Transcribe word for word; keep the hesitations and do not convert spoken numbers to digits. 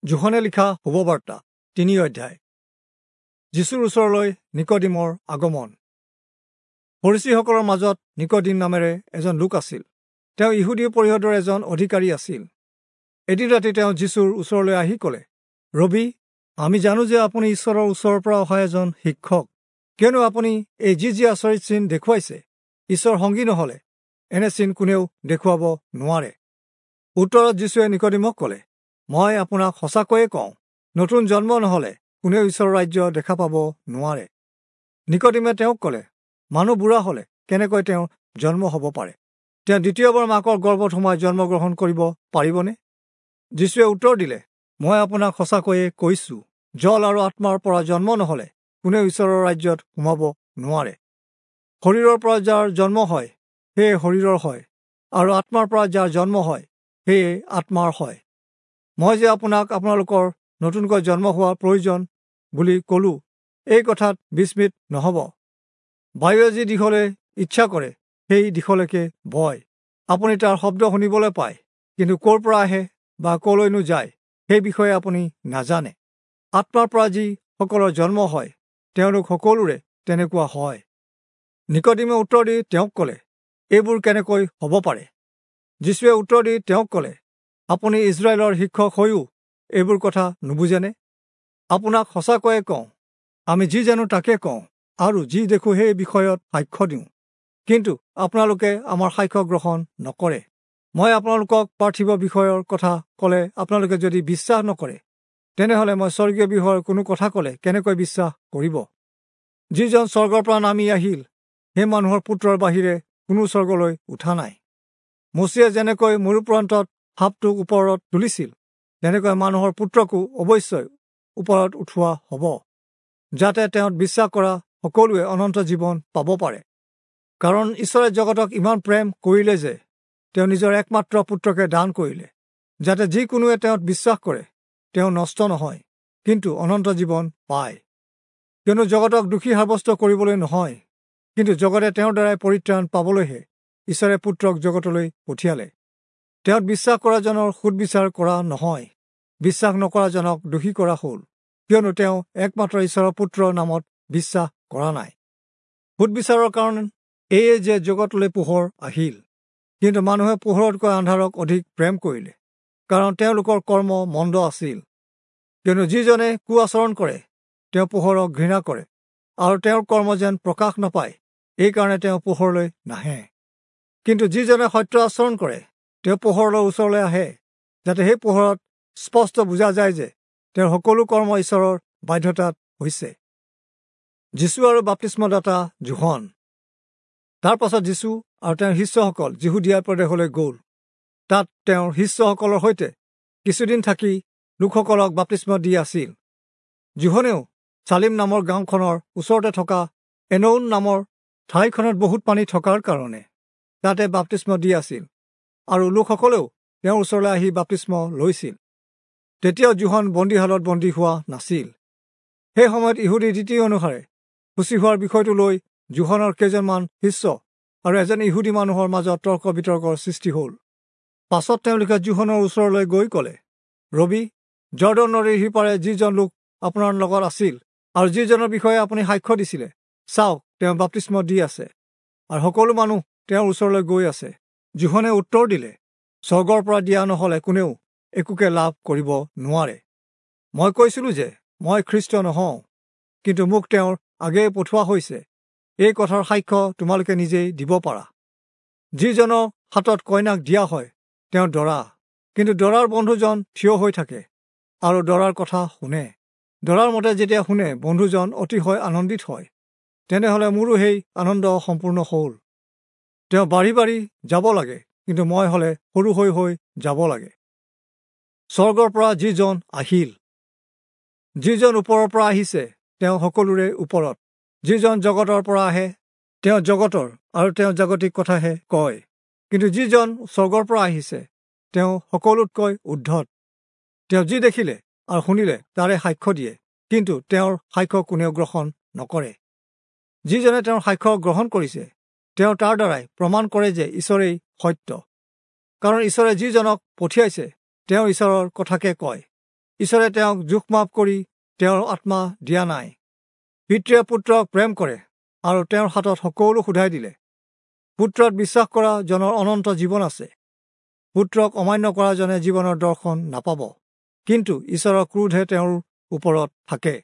যোহনে লিখা শুভবাৰ্তা তিনি অধ্যায়। যীশুৰ ওচৰলৈ নিকোদিমৰ আগমন। ফৰীচীসকলৰ মাজত নিকোদিম নামেৰে এজন লোক আছিল। তেওঁ ইহুদী পৰিষদৰ এজন অধিকাৰী আছিল। এদিন ৰাতি তেওঁ যীশুৰ ওচৰলৈ আহি ক'লে, ৰবি, আমি জানো যে আপুনি ঈশ্বৰৰ ওচৰৰ পৰা অহা এজন শিক্ষক, কিয়নো আপুনি এই যি যি আচৰিত চিন দেখুৱাইছে, ঈশ্বৰ সংগী নহ'লে এনে চিন কোনেও দেখুৱাব নোৱাৰে। উত্তৰত যীশুৱে নিকোদিমক ক'লে, মই আপোনাক সঁচাকৈয়ে কওঁ, নতুন জন্ম নহ'লে কোনেও ঈশ্বৰৰ ৰাজ্য দেখা পাব নোৱাৰে। নিকোদিমে তেওঁক ক'লে, মানুহ বুঢ়া হ'লে কেনেকৈ তেওঁ জন্ম হ'ব পাৰে? তেওঁ দ্বিতীয়বাৰ মাকৰ গৰ্ভত সোমাই জন্মগ্ৰহণ কৰিব পাৰিবনে? যীশুৱে উত্তৰ দিলে, মই আপোনাক সঁচাকৈয়ে কৈছোঁ, জল আৰু আত্মাৰ পৰা জন্ম নহ'লে কোনেও ঈশ্বৰৰ ৰাজ্যত সোমাব নোৱাৰে। শৰীৰৰ পৰা যাৰ জন্ম হয় সেয়ে শৰীৰৰ হয়, আৰু আত্মাৰ পৰা যাৰ জন্ম হয় সেয়ে আত্মাৰ হয়। মই যে আপোনাক আপোনালোকৰ নতুনকৈ জন্ম হোৱাৰ প্ৰয়োজন বুলি ক'লোঁ, এই কথাত বিস্মিত নহ'ব। বায়ুৱে যি দিশলৈ ইচ্ছা কৰে সেই দিশলৈকে বয়। আপুনি তাৰ শব্দ শুনিবলৈ পায়, কিন্তু ক'ৰ পৰা আহে বা ক'লৈনো যায় সেই বিষয়ে আপুনি নাজানে। আত্মাৰ পৰা যিসকলৰ জন্ম হয় তেওঁলোক সকলোৰে তেনেকুৱা হয়। নিকোদিমে উত্তৰ দি তেওঁক ক'লে, এইবোৰ কেনেকৈ হ'ব পাৰে? যীশুৱে উত্তৰ দি তেওঁক ক'লে, আপুনি ইজৰাইলৰ শিক্ষক হৈও এইবোৰ কথা নুবুজেনে? আপোনাক সঁচাকৈয়ে কওঁ, আমি যি জানো তাকে কওঁ আৰু যি দেখোঁ সেই বিষয়ত সাক্ষ্য দিওঁ, কিন্তু আপোনালোকে আমাৰ সাক্ষ্য গ্ৰহণ নকৰে। মই আপোনালোকক পাৰ্থিৱ বিষয়ৰ কথা ক'লে আপোনালোকে যদি বিশ্বাস নকৰে, তেনেহ'লে মই স্বৰ্গীয় বিষয়ৰ কোনো কথা ক'লে কেনেকৈ বিশ্বাস কৰিব? যিজন স্বৰ্গৰ পৰা নামি আহিল সেই মানুহৰ পুত্ৰৰ বাহিৰে কোনো স্বৰ্গলৈ উঠা নাই। মোচিয়ে যেনেকৈ মৰুপ্ৰান্তত সাপটোক ওপৰত তুলিছিল, তেনেকৈ মানুহৰ পুত্ৰকো অৱশ্যই ওপৰত উঠোৱা হ'ব, যাতে তেওঁত বিশ্বাস কৰা সকলোৱে অনন্ত জীৱন পাব পাৰে। কাৰণ ঈশ্বৰে জগতক ইমান প্ৰেম কৰিলে যে তেওঁ নিজৰ একমাত্ৰ পুত্ৰকে দান কৰিলে, যাতে যিকোনোৱে তেওঁত বিশ্বাস কৰে তেওঁ নষ্ট নহয়, কিন্তু অনন্ত জীৱন পায়। কিয়নো জগতক দোষী সাব্যস্ত কৰিবলৈ নহয়, কিন্তু জগতে তেওঁৰ দ্বাৰাই পৰিত্ৰাণ পাবলৈহে ঈশ্বৰে পুত্ৰক জগতলৈ পঠিয়ালে। তেওঁত বিশ্বাস কৰাজনৰ সুদবিচাৰ কৰা নহয়, বিশ্বাস নকৰাজনক দোষী কৰা হ'ল, কিয়নো তেওঁ একমাত্ৰ ঈশ্বৰৰ পুত্ৰৰ নামত বিশ্বাস কৰা নাই। সুদবিচাৰৰ কাৰণ এয়ে যে জগতলৈ পোহৰ আহিল, কিন্তু মানুহে পোহৰতকৈ আন্ধাৰক অধিক প্ৰেম কৰিলে, কাৰণ তেওঁলোকৰ কৰ্ম মন্দ আছিল। কিয়নো যিজনে কু আচৰণ কৰে তেওঁ পোহৰক ঘৃণা কৰে, আৰু তেওঁৰ কৰ্ম যেন প্ৰকাশ নাপায়, এইকাৰণে তেওঁ পোহৰলৈ নাহে। কিন্তু যিজনে সত্য আচৰণ কৰে তেওঁ পোহৰলৈ ওচৰলৈ আহে, যাতে সেই পোহৰত স্পষ্ট বুজা যায় যে তেওঁৰ সকলো কৰ্ম ঈশ্বৰৰ বাধ্যতাত হৈছে। যীশু আৰু বাপ্তিস্মদাতা যোহন। তাৰ পাছত যীশু আৰু তেওঁৰ শিষ্যসকল যিহুদীয়া প্ৰদেশলৈ গ'ল। তাত তেওঁৰ শিষ্যসকলৰ সৈতে কিছুদিন থাকি লোকসকলক বাপ্তিস্ম দি আছিল। যোহনেও চালিম নামৰ গাঁওখনৰ ওচৰতে থকা এনৌন নামৰ ঠাইখনত বহুত পানী থকাৰ কাৰণে তাতে বাপ্তিস্ম দি আছিল, আৰু লোকসকলেও তেওঁৰ ওচৰলৈ আহি বাপ্তিস্ম লৈছিল। তেতিয়াও যোহন বন্দীশালত বন্দী হোৱা নাছিল। সেই সময়ত ইহুদী ৰীতি অনুসাৰে শুচি হোৱাৰ বিষয়টো লৈ যোহনৰ কেইজনমান শিষ্য আৰু এজন ইহুদী মানুহৰ মাজত তৰ্ক বিতৰ্কৰ সৃষ্টি হ'ল। পাছত তেওঁলোকে যোহনৰ ওচৰলৈ গৈ ক'লে, ৰবি, জৰ্দন নদীৰ সিপাৰে যিজন লোক আপোনাৰ লগত আছিল আৰু যিজনৰ বিষয়ে আপুনি সাক্ষ্য দিছিলে, চাওক, তেওঁ বাপ্তিস্ম দি আছে আৰু সকলো মানুহ তেওঁৰ ওচৰলৈ গৈ আছে। যোহনে উত্তৰ দিলে, স্বৰ্গৰ পৰা দিয়া নহ'লে কোনেও একোকে লাভ কৰিব নোৱাৰে। মই কৈছিলোঁ যে মই খ্ৰীষ্ট নহওঁ, কিন্তু মোক তেওঁৰ আগেয়ে পঠোৱা হৈছে। এই কথাৰ সাক্ষ্য তোমালোকে নিজেই দিব পাৰা। যিজনৰ হাতত কইনাক দিয়া হয় তেওঁ দৰা, কিন্তু দৰাৰ বন্ধুজন থিয় হৈ থাকে আৰু দৰাৰ কথা শুনে। দৰাৰ মতে যেতিয়া শুনে বন্ধুজন অতিশয় আনন্দিত হয়, তেনেহ'লে মোৰো সেই আনন্দ সম্পূৰ্ণ হ'ল। তেওঁ বাঢ়ি বাঢ়ি যাব লাগে, কিন্তু মই হ'লে সৰু হৈ হৈ যাব লাগে। স্বৰ্গৰ পৰা যিজন আহিল, যিজন ওপৰৰ পৰা আহিছে তেওঁ সকলোৰে ওপৰত। যিজন জগতৰ পৰা আহে তেওঁ জগতৰ আৰু তেওঁ জাগতিক কথাহে কয়, কিন্তু যিজন স্বৰ্গৰ পৰা আহিছে তেওঁ সকলোতকৈ উৰ্ধত। তেওঁ যি দেখিলে আৰু শুনিলে তাৰে সাক্ষ্য দিয়ে, কিন্তু তেওঁৰ সাক্ষ্য কোনেও গ্ৰহণ নকৰে। যিজনে তেওঁৰ সাক্ষ্য গ্ৰহণ কৰিছে তেওঁ তাৰ দ্বাৰাই প্ৰমাণ কৰে যে ঈশ্বৰেই সত্য। কাৰণ ঈশ্বৰে যিজনক পঠিয়াইছে তেওঁ ঈশ্বৰৰ কথাকে কয়। ঈশ্বৰে তেওঁক জোখ মাপ কৰি তেওঁৰ আত্মা দিয়া নাই। পিতৃয়ে পুত্ৰক প্ৰেম কৰে আৰু তেওঁৰ হাতত সকলো সোধাই দিলে। পুত্ৰত বিশ্বাস কৰা জনৰ অনন্ত জীৱন আছে। পুত্ৰক অমান্য কৰা জনে জীৱনৰ দৰ্শন নাপাব, কিন্তু ঈশ্বৰৰ ক্ৰোধহে তেওঁৰ ওপৰত থাকে।